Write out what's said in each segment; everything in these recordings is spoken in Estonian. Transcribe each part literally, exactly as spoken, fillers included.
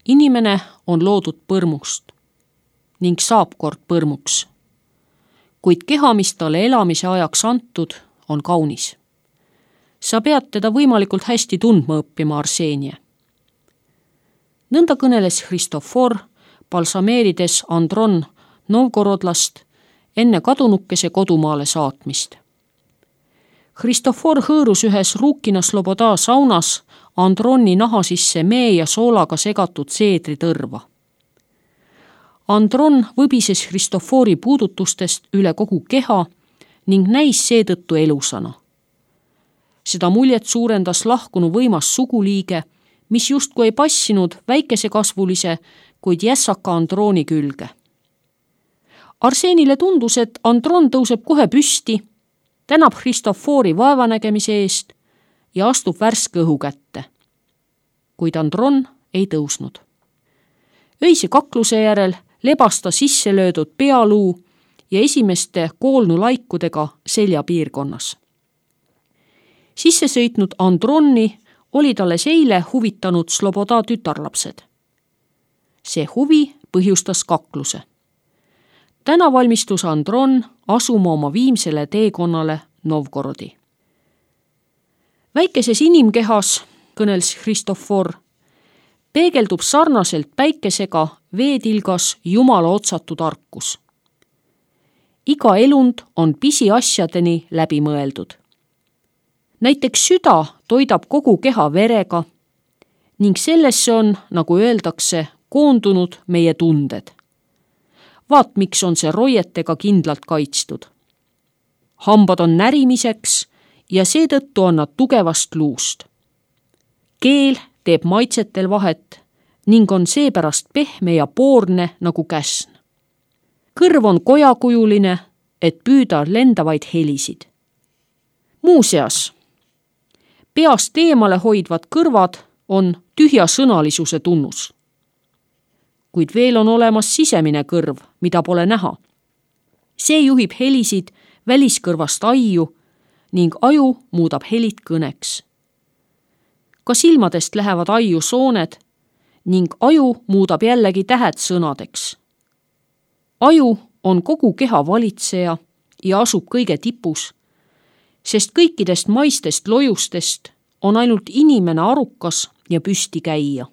Inimene on loodud põrmust ning saab kord põrmuks, kuid keha, mis talle elamise ajaks antud, on kaunis. Sa pead teda võimalikult hästi tundma õppima, Arseenia. Nõnda kõneles Hristofor, balsameerides Andron Novgorodlast enne kadunukese kodumaale saatmist. Hristofor hõõrus ühes Ruukina Sloboda saunas Androni naha sisse mee ja soolaga segatud seedritõrva. Andron võbises Hristofori puudutustest üle kogu keha ning näis seetõttu elusana. Seda muljet suurendas lahkunu võimas suguliige, mis justkui ei passinud väikesekasvulise, kuid jässaka Androni külge. Arsenile tundus, et Andron tõuseb kohe püsti, tänab Hristofori vaevanägemise eest ja astub värske õhu kätte. Kuid Andron ei tõusnud. Öise kakluse järel lebas ta sisse löödud pealuu ja esimeste koolnulaikudega selja piirkonnas. Sisse sõitnud Andronni oli talle seile huvitanud Sloboda tütarlapsed. See huvi põhjustas kakluse. Täna valmistus Andron asuma oma viimsele teekonnale Novgorodi. Väikeses inimkehas, kõnels Hristofor, peegeldub sarnaselt päikesega veetilgas Jumala otsatu tarkus. Iga elund on pisiasjadeni läbi mõeldud. Näiteks süda toidab kogu keha verega ning sellesse on, nagu öeldakse, koondunud meie tunded. Vaat, miks on see roietega kindlalt kaitstud. Hambad on närimiseks ja seetõttu on nad tugevast luust. Keel teeb maitsetel vahet ning on seepärast pehme ja poorne nagu käsn. Kõrv on kojakujuline, et püüda lendavaid helisid. Muuseas, peast eemale hoidvad kõrvad on tühja sõnalisuse tunnus. Kuid veel on olemas sisemine kõrv, mida pole näha. See juhib helisid väliskõrvast aiu ning aju muudab helid kõneks. Ka silmadest lähevad aiu sooned ning aju muudab jällegi tähed sõnadeks. Aju on kogu keha valitseja ja asub kõige tipus, sest kõikidest maistest lojustest on ainult inimene arukas ja püsti käia.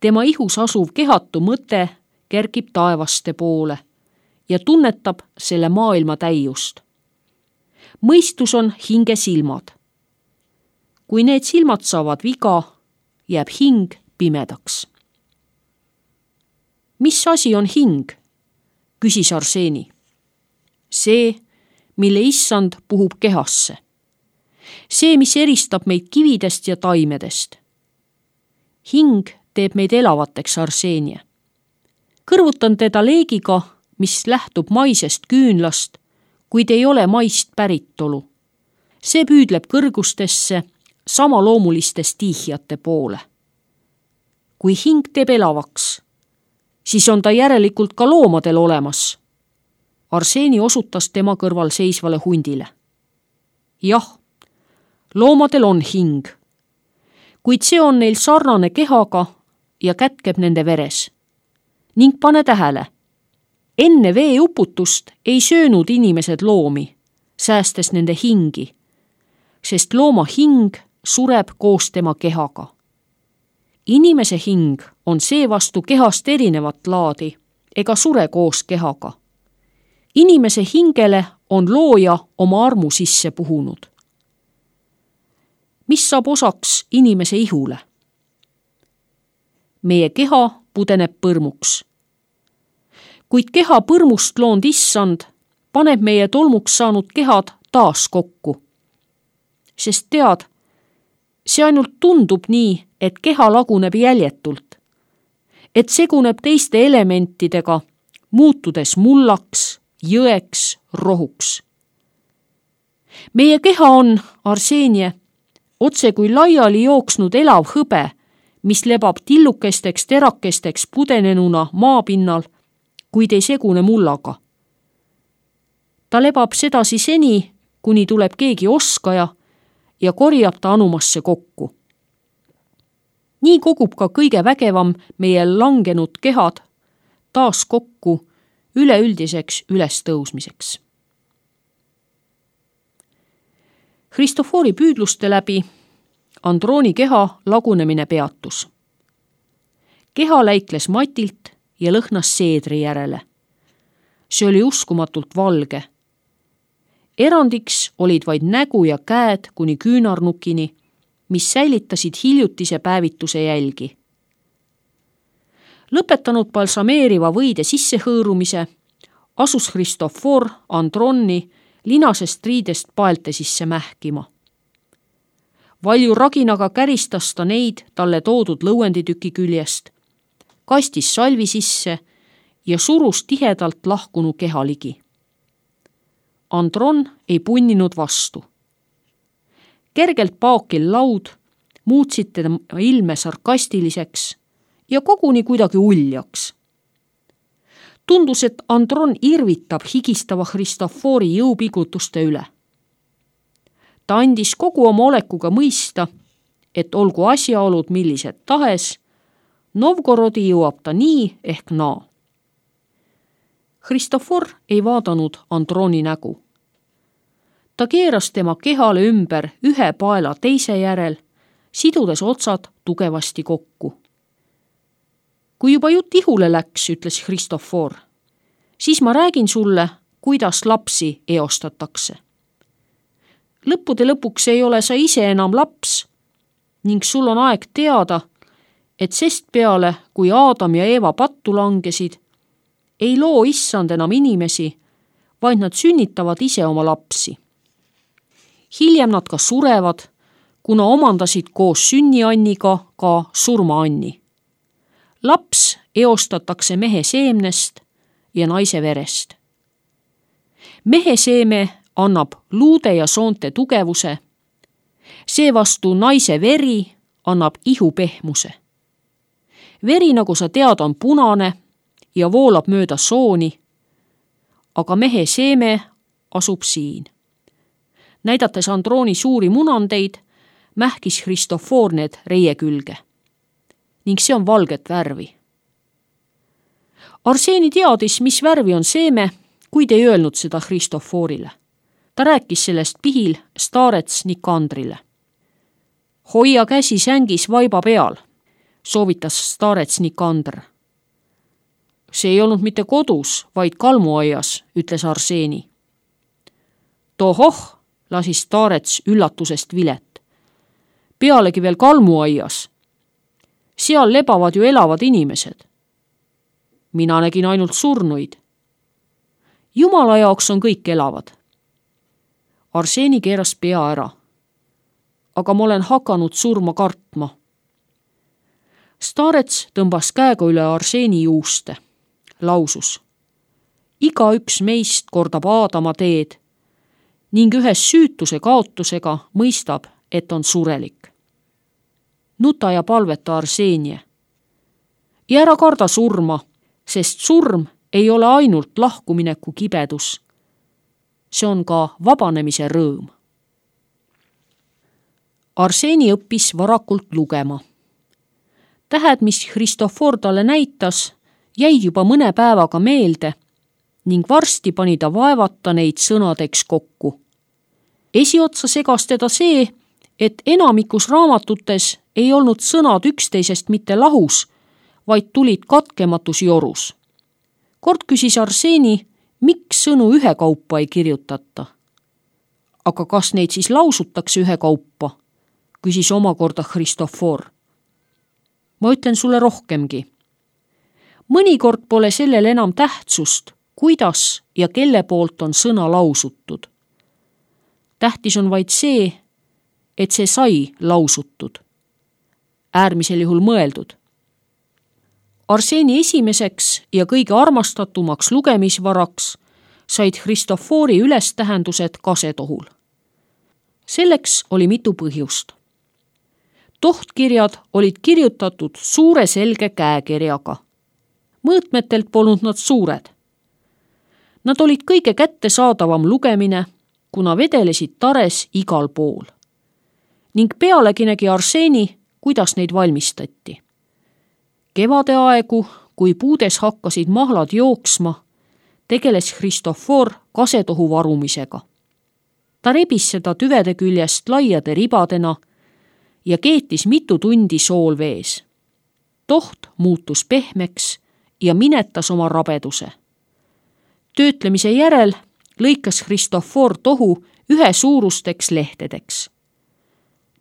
Tema ihus asuv kehatu mõte kerkib taevaste poole ja tunnetab selle maailma täiust. Mõistus on hinge silmad. Kui need silmad saavad viga, jääb hing pimedaks. Mis asi on hing? Küsis Arseni. See, mille issand puhub kehasse. See, mis eristab meid kividest ja taimedest. Hing teeb meid elavateks, Arsenia. Kõrvutan teda leegiga, mis lähtub maisest küünlast, kuid ei ole maist päritolu. See püüdleb kõrgustesse samaloomuliste stiihiate poole. Kui hing teeb elavaks, siis on ta järelikult ka loomadel olemas. Arseni osutas tema kõrval seisvale hundile. Jah, loomadel on hing, kuid see on neil sarnane kehaga ja kätkeb nende veres. Ning pane tähele, enne veeuputust ei söönud inimesed loomi, säästes nende hingi, sest looma hing sureb koos tema kehaga. Inimese hing on seevastu kehast erinevat laadi ega sure koos kehaga. Inimese hingele on looja oma armu sisse puhunud. Mis saab osaks inimese ihule? Meie keha pudeneb põrmuks. Kuid keha põrmust loonud issand paneb meie tolmuks saanud kehad taas kokku. Sest tead, see ainult tundub nii, et keha laguneb jäljetult, et seguneb teiste elementidega, muutudes mullaks, jõeks, rohuks. Meie keha on, Arsenie, otse kui laiali jooksnud elav hõbe, mis lebab tillukesteks terakesteks pudenenuna maapinnal, kuid ei segune mullaga. Ta lebab sedasi seni, kuni tuleb keegi oskaja ja korjab ta anumasse kokku. nii kogub ka kõige vägevam meie langenud kehad taas kokku üleüldiseks ülestõusmiseks. Christophori püüdluste läbi Androni keha lagunemine peatus. Keha läikles matilt ja lõhnas seedri järele. See oli uskumatult valge. Erandiks olid vaid nägu ja käed kuni küünarnukini, mis säilitasid hiljutise päevituse jälgi. Lõpetanud balsameeriva võide sissehõõrumise, asus Christophor Androni linasest riidest paelte sisse mähkima. Valju raginaga käristas ta neid talle toodud lõuenditüki küljest, kastis salvi sisse ja surus tihedalt lahkunu keha ligi. Andron ei punninud vastu. Kergelt paokil laud muutsid tema ilme sarkastiliseks ja koguni kuidagi uljaks. Tundus, et Andron irvitab higistava Christophori jõupigutuste üle. Ta andis kogu oma olekuga mõista, et olgu asjaolud millised tahes, Novgorodi jõuab ta nii ehk naa. Christophor ei vaadanud Androni nägu. Ta keeras tema kehale ümber ühe paela teise järel, sidudes otsad tugevasti kokku. Kui juba jutt ihule läks, ütles Christophor, siis ma räägin sulle, kuidas lapsi eostatakse. Lõppude lõpuks ei ole sa ise enam laps ning sul on aeg teada, et sest peale, kui Aadam ja Eeva pattu langesid, ei loo issand enam inimesi, vaid nad sünnitavad ise oma lapsi. Hiljem nad ka surevad, kuna omandasid koos sünnianniga ka surmaanni. Laps eostatakse mehe seemnest ja naise verest. Mehe seeme annab luude ja soonte tugevuse, seevastu naise veri annab ihu pehmuse. Veri, nagu sa tead, on punane ja voolab mööda sooni, aga mehe seeme asub siin. Näidates Androni suuri munandeid, mähkis Christophor need reie külge. Ning see on valget värvi. Arseeni teadis, mis värvi on seeme, kuid ei öelnud seda Christophorile. Ta rääkis sellest pihil staarets Nikandrile. Hoia käsi sängis vaiba peal, soovitas staarets Nikandr. See ei olnud mitte kodus, vaid kalmuaias, ütles Arseeni. Tohoh, lasi staarets üllatusest vilet. Pealegi veel kalmuaias. Seal lebavad ju elavad inimesed. Mina nägin ainult surnuid. Jumala jaoks on kõik elavad. Arseeni keeras pea ära. Aga ma olen hakanud surma kartma. Staarets tõmbas käega üle Arseeni juuste. Lausus. Iga üks meist kordab Aadama teed ning ühes süütuse kaotusega mõistab, et on surelik. Nuta ja palveta Arseenie. Ja ära karda surma, sest surm ei ole ainult lahkumineku kibedus. See on ka vabanemise rõõm. Arseeni õppis varakult lugema. Tähed, mis Christophor talle näitas, jäid juba mõne päevaga meelde ning varsti pani ta vaevata neid sõnadeks kokku. Esiotsa segas teda see, et enamikus raamatutes ei olnud sõnad üksteisest mitte lahus, vaid tulid katkematus jorus. Kord küsis Arseeni, miks sõnu ühekaupa ei kirjutata. Aga kas neid siis lausutakse ühekaupa? Küsis omakorda Christophor. Ma ütlen sulle rohkemgi. Mõnikord pole sellel enam tähtsust, kuidas ja kelle poolt on sõna lausutud. Tähtis on vaid see, et see sai lausutud. Äärmisel juhul mõeldud. Arseeni esimeseks ja kõige armastatumaks lugemisvaraks said Christophori ülestähendused kasetohul. Selleks oli mitu põhjust. Tohtkirjad olid kirjutatud suure selge käekirjaga. Mõõtmetelt polnud nad suured. Nad olid kõige kättesaadavam lugemine, kuna vedelesid tares igal pool. Ning pealegi nägi Arseeni, kuidas neid valmistati. Kevade aegu, kui puudes hakkasid mahlad jooksma, tegeles Christofor kasetohu varumisega. Ta rebis seda tüvede küljest laiade ribadena ja keetis mitu tundi soolvees. Toht muutus pehmeks ja minetas oma rabeduse. Töötlemise järel lõikas Christofor tohu ühe suurusteks lehtedeks.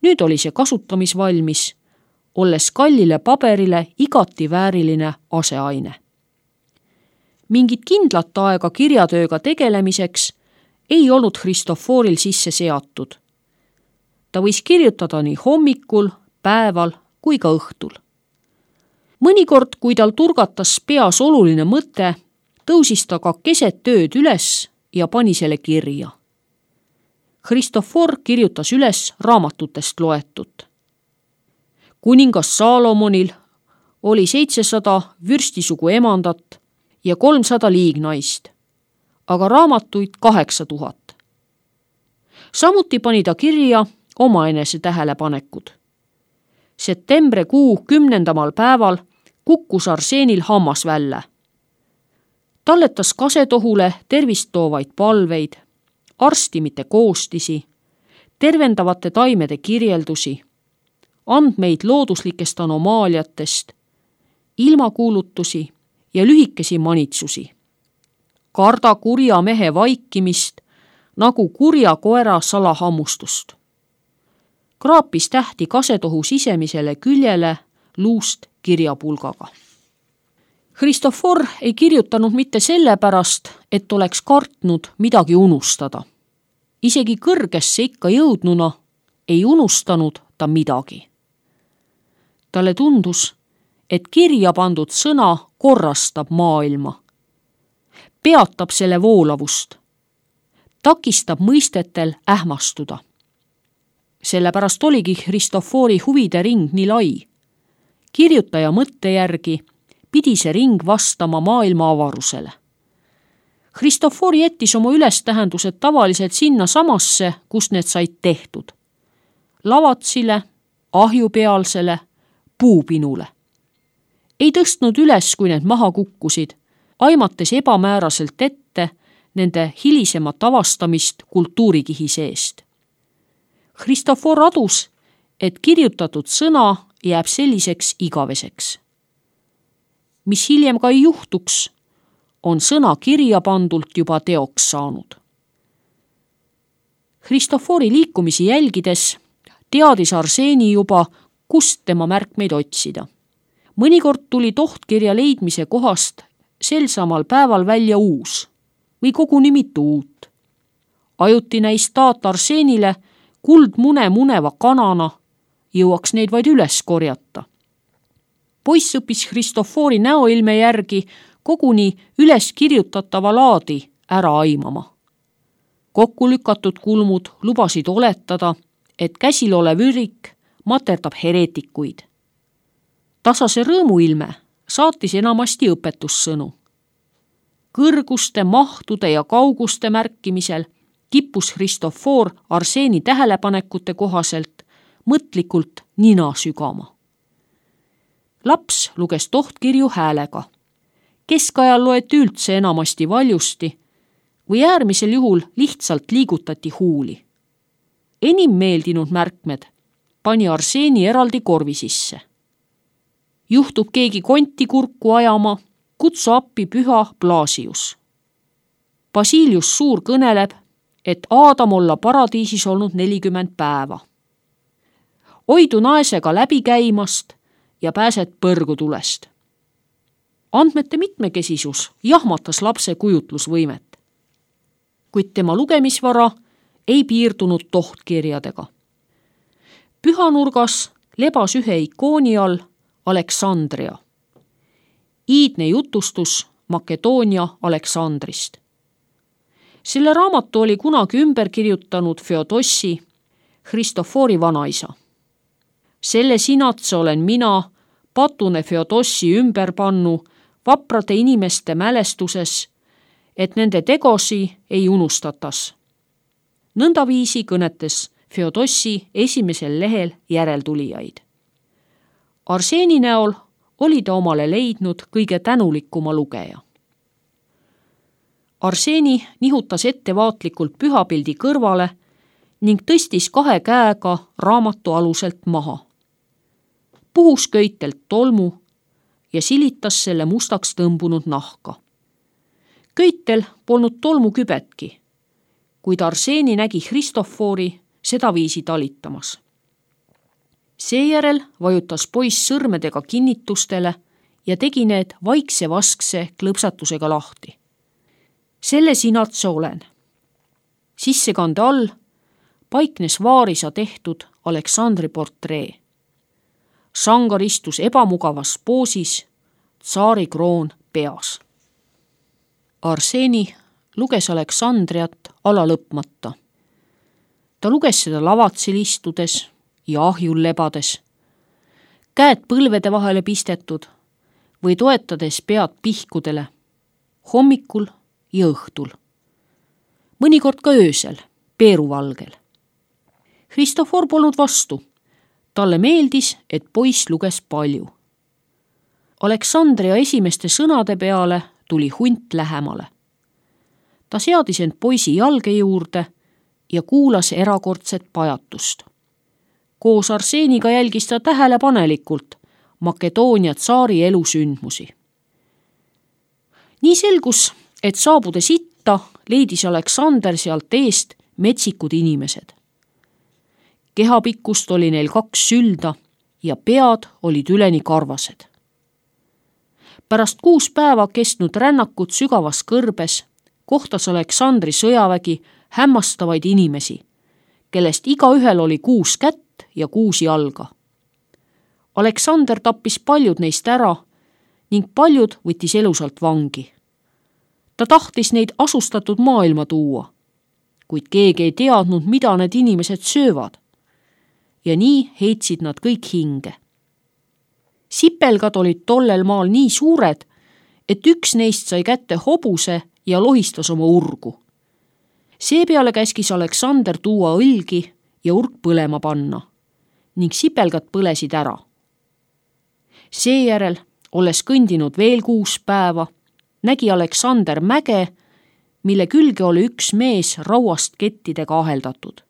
Nüüd oli see kasutamisvalmis, olles kallile paberile igati vääriline aseaine. Mingit kindlat aega kirjatööga tegelemiseks ei olnud Christoforil sisse seatud. Ta võis kirjutada nii hommikul, päeval kui ka õhtul. Mõnikord, kui tal turgatas peas oluline mõte, tõusis ta ka keset tööd üles ja pani selle kirja. Christofor kirjutas üles raamatutest loetut. Kuningas Saalomonil oli seitsesada vürstisugu emandat ja kolmsada liignaist, aga raamatuid kaheksa tuhat. Samuti pani ta kirja omaenese tähelepanekud. Septembrikuu kümnendamal päeval kukkus Arseenil hammas välja. Talletas kasetohule tervist toovaid palveid, arstimite koostisi, tervendavate taimede kirjeldusi, andmeid looduslikest anomaaliatest, ilmakuulutusi ja lühikesi manitsusi. Karda kurja mehe vaikimist nagu kurja koera salahammustust. Kraapis tähti kasetohu sisemisele küljele luust kirjapulgaga. Christofor ei kirjutanud mitte sellepärast, et oleks kartnud midagi unustada. Isegi kõrgesse ikka jõudnuna ei unustanud ta midagi. Talle tundus, et kirja pandud sõna korrastab maailma, peatab selle voolavust, takistab mõistetel ähmastuda. Sellepärast oligi Christofori huvide ring nii lai. Kirjutaja mõtte järgi pidi see ring vastama maailma avarusele. Christofor jättis oma ülestähendused tavaliselt sinna samasse, kus need said tehtud. Lavatsile, ahjupealsele, puupinule. Ei tõstnud üles, kui need maha kukkusid, aimates ebamääraselt ette nende hilisemat avastamist kultuurikihi seest. Christofor adus, et kirjutatud sõna jääb selliseks igaveseks. Mis hiljem ka ei juhtuks, on sõna kirja pandult juba teoks saanud. Christofori liikumisi jälgides teadis Arseeni juba, kust tema märkmeid otsida. Mõnikord tuli tohtkirja leidmise kohast sel samal päeval välja uus või koguni mitu uut. Ajuti näis taat Arseenile kuldmune muneva kanana, jõuaks neid vaid üles korjata. Poiss õppis Christofori näoilme järgi koguni üles kirjutatava laadi ära aimama. Kokku lükatud kulmud lubasid oletada, et käsil olev ürik materdab heretikuid. Tasase rõõmuilme saatis enamasti õpetussõnu. Kõrguste, mahtude ja kauguste märkimisel kippus Christofor Arseeni tähelepanekute kohaselt mõtlikult nina sügama. Laps luges tohtkirju häälega. Keskajal loeti üldse enamasti valjusti või äärmisel juhul lihtsalt liigutati huuli. Enim meeldinud märkmed pani Arseeni eraldi korvi sisse. Juhtub keegi konti kurku ajama, kutsu appi püha Blasius. Basilius Suur kõneleb, et Aadam olla paradiisis olnud nelikümmend päeva. Oidu naesega läbi käimast ja pääsed põrgutulest. Andmete mitmekesisus jahmatas lapse kujutlusvõimet. Kuid tema lugemisvara ei piirdunud tohtkirjadega. Pühanurgas lebas ühe ikooni all Aleksandria. Iidne jutustus Makedoonia Aleksandrist. Selle raamatu oli kunagi ümber kirjutanud Feodossi, Christofori vanaisa. Selle sinatse olen mina, patune Feodossi ümber pannu vaprade inimeste mälestuses, et nende tegosi ei unustatas. Nõndaviisi kõnetes Feodossi esimesel lehel järeltulijaid. Arseeni näol oli ta omale leidnud kõige tänulikuma lugeja. Arseeni nihutas ettevaatlikult pühapildi kõrvale ning tõstis kahe käega raamatu aluselt maha. Puhus köitelt tolmu ja silitas selle mustaks tõmbunud nahka. Köitel polnud tolmu kübetki, kuid Arseeni nägi Christophori sedaviisi talitamas. Seejärel vajutas poiss sõrmedega kinnitustele ja tegi need vaikse vaskse klõpsatusega lahti. Selle sinatse olen. Sissekande all paiknes vaarisa tehtud Aleksandri portree. Sangar istus ebamugavas poosis, tsaari kroon peas. Arseeni luges Aleksandriat ala lõpmata. Ta luges seda lavatsil istudes ja ahjul lebades, käed põlvede vahele pistetud või toetades pead pihkudele, hommikul ja õhtul. Mõnikord ka öösel, peeruvalgel. Christophor polnud vastu. Talle meeldis, et poiss luges palju. Aleksandria esimeste sõnade peale tuli hunt lähemale. Ta seadis end poisi jalge juurde ja kuulas erakordset pajatust. Koos Arseeniga jälgis ta tähelepanelikult Makedoonia tsaari elusündmusi. Nii selgus, et saabudes itta leidis Aleksander sealt eest metsikud inimesed. Kehapikkust oli neil kaks sülda ja pead olid üleni karvased. Pärast kuus päeva kestnud rännakut sügavas kõrbes kohtas Aleksandri sõjavägi hämmastavaid inimesi, kellest igaühel oli kuus kätt ja kuus jalga. Aleksander tappis paljud neist ära ning paljud võttis elusalt vangi. Ta tahtis neid asustatud maailma tuua, kuid keegi ei teadnud, mida need inimesed söövad. Ja nii heitsid nad kõik hinge. Sipelgad olid tollel maal nii suured, et üks neist sai kätte hobuse ja lohistas oma urgu. Seepeale käskis Aleksander tuua õlgi ja urg põlema panna ning sipelgad põlesid ära. Seejärel, olles kõndinud veel kuus päeva, nägi Aleksander mäge, mille külge oli üks mees rauast kettidega aheldatud.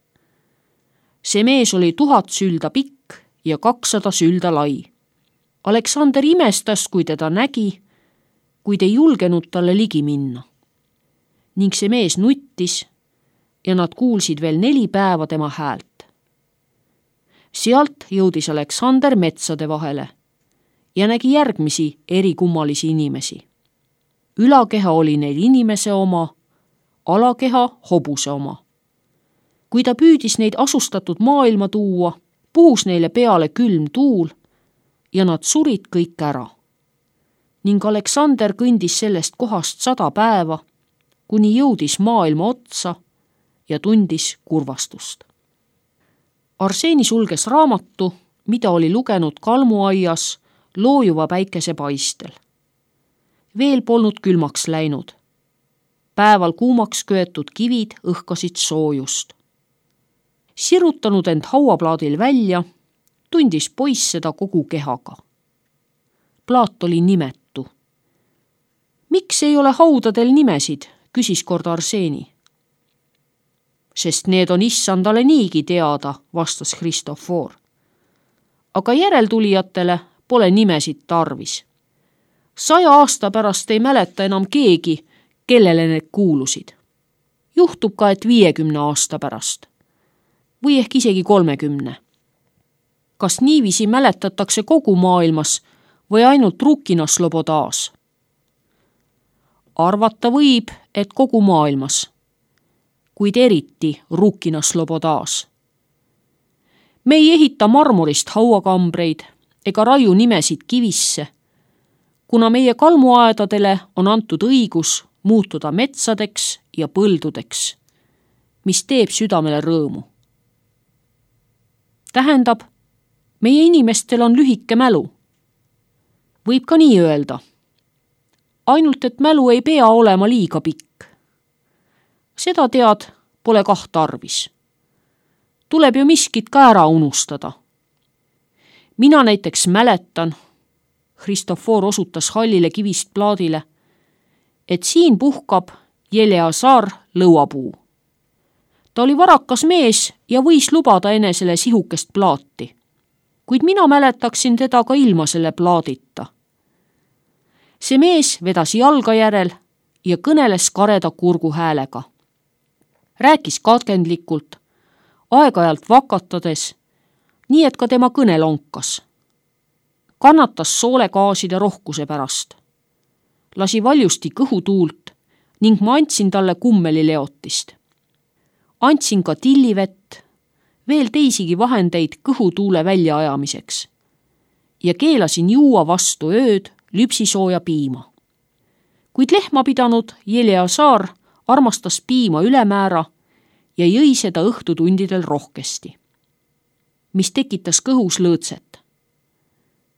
See mees oli tuhat sülda pikk ja kakssada sülda lai. Aleksander imestas, kui teda nägi, kuid ei julgenud talle ligi minna. Ning see mees nuttis ja nad kuulsid veel neli päeva tema häält. Sealt jõudis Aleksander metsade vahele ja nägi järgmisi erikummalisi inimesi. Ülakeha oli neil inimese oma, alakeha hobuse oma. Kui ta püüdis neid asustatud maailma tuua, puhus neile peale külm tuul ja nad surid kõik ära. Ning Aleksander kõndis sellest kohast sada päeva, kuni jõudis maailma otsa ja tundis kurvastust. Arseeni sulges raamatu, mida oli lugenud kalmuaias loojuva päikese paistel. Veel polnud külmaks läinud. Päeval kuumaks köetud kivid õhkasid soojust. Sirutanud end hauaplaadil välja, tundis poiss seda kogu kehaga. Plaat oli nimetu. Miks ei ole haudadel nimesid, küsis kord Arseeni. Sest need on issandale niigi teada, vastas Christophor. Aga järeltulijatele pole nimesid tarvis. Saja aasta pärast ei mäleta enam keegi, kellele need kuulusid. Juhtub ka, et viiekümne aasta pärast. Või ehk isegi kolmekümne. Kas niiviisi mäletatakse kogu maailmas või ainult Rukina Slobodaas? Arvata võib, et kogu maailmas, kuid eriti Rukina Slobodaas. Me ei ehita marmorist hauakambreid ega raiu nimesid kivisse, kuna meie kalmuaedadele on antud õigus muutuda metsadeks ja põldudeks, mis teeb südamele rõõmu. Tähendab, meie inimestel on lühike mälu. Võib ka nii öelda. Ainult, et mälu ei pea olema liiga pikk. Seda tead, pole kah tarvis. Tuleb ju miskit ka ära unustada. mina näiteks mäletan, Christofor osutas hallile kivist plaadile, et siin puhkab Eleazar lõuapuu. Ta oli varakas mees ja võis lubada enesele sihukest plaati, kuid mina mäletaksin teda ka ilma selle plaadita. See mees vedas jalga järel ja kõneles kareda kurgu häälega. Rääkis katkendlikult, aeg-ajalt vakatades, nii et ka tema kõne lonkas. Kannatas soolegaaside rohkuse pärast. Lasi valjusti kõhutuult ning ma andsin talle kummelileotist. Andsin ka tillivett, veel teisigi vahendeid kõhutuule väljaajamiseks ja keelasin juua vastu ööd lüpsisooja piima. Kuid lehma pidanud Eleazar armastas piima ülemäära ja jõi seda õhtutundidel rohkesti, mis tekitas kõhus lõõtset.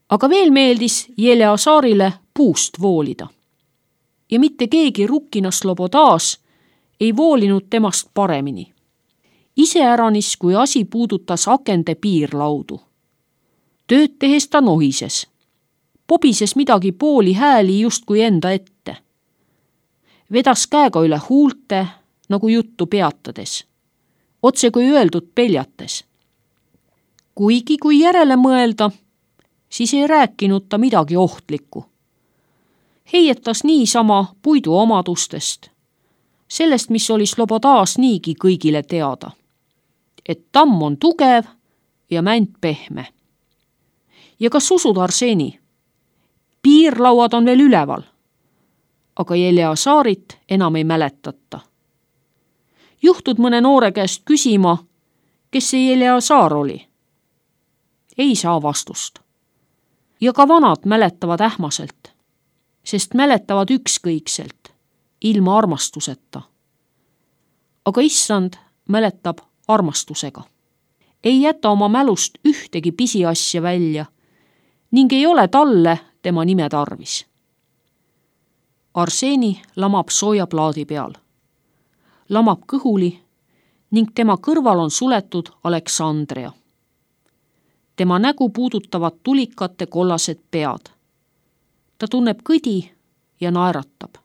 Aga veel meeldis Eleazarile puust voolida. Ja mitte keegi Rukkina Slobodas ei voolinud temast paremini. Iseäranis, kui asi puudutas akende piirlaudu. Tööd tehes ta nohises. Pobises midagi pooli hääli justkui enda ette. Vedas käega üle huulte, nagu juttu peatades. Otse kui öeldud peljates. Kuigi kui järele mõelda, siis ei rääkinud ta midagi ohtlikku. Heietas niisama puidu omadustest, sellest, mis oli Slobodas niigi kõigile teada, et tamm on tugev ja mänt pehme. Ja kas usud, Arseni? Piirlauad on veel üleval, aga Eleazarit enam ei mäletata. Juhtud mõne noore käest küsima, kes see Eleazar oli. Ei saa vastust. Ja ka vanad mäletavad ähmaselt, sest mäletavad ükskõikselt, ilma armastuseta. Aga issand mäletab armastusega. Ei jäta oma mälust ühtegi pisiasja välja ning ei ole talle tema nime tarvis. Arseni lamab sooja plaadi peal. Lamab kõhuli ning tema kõrval on suletud Aleksandria. Tema nägu puudutavad tulikate kollased pead. Ta tunneb kõdi ja naeratab.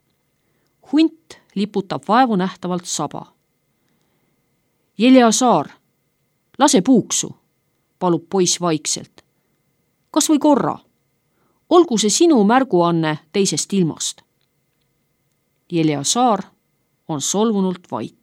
Hunt liputab vaevu nähtavalt saba. Eleazar, lase puuksu, palub poiss vaikselt. Kas või korra? Olgu see sinu märguanne teisest ilmast. Eleazar on solvunult vait.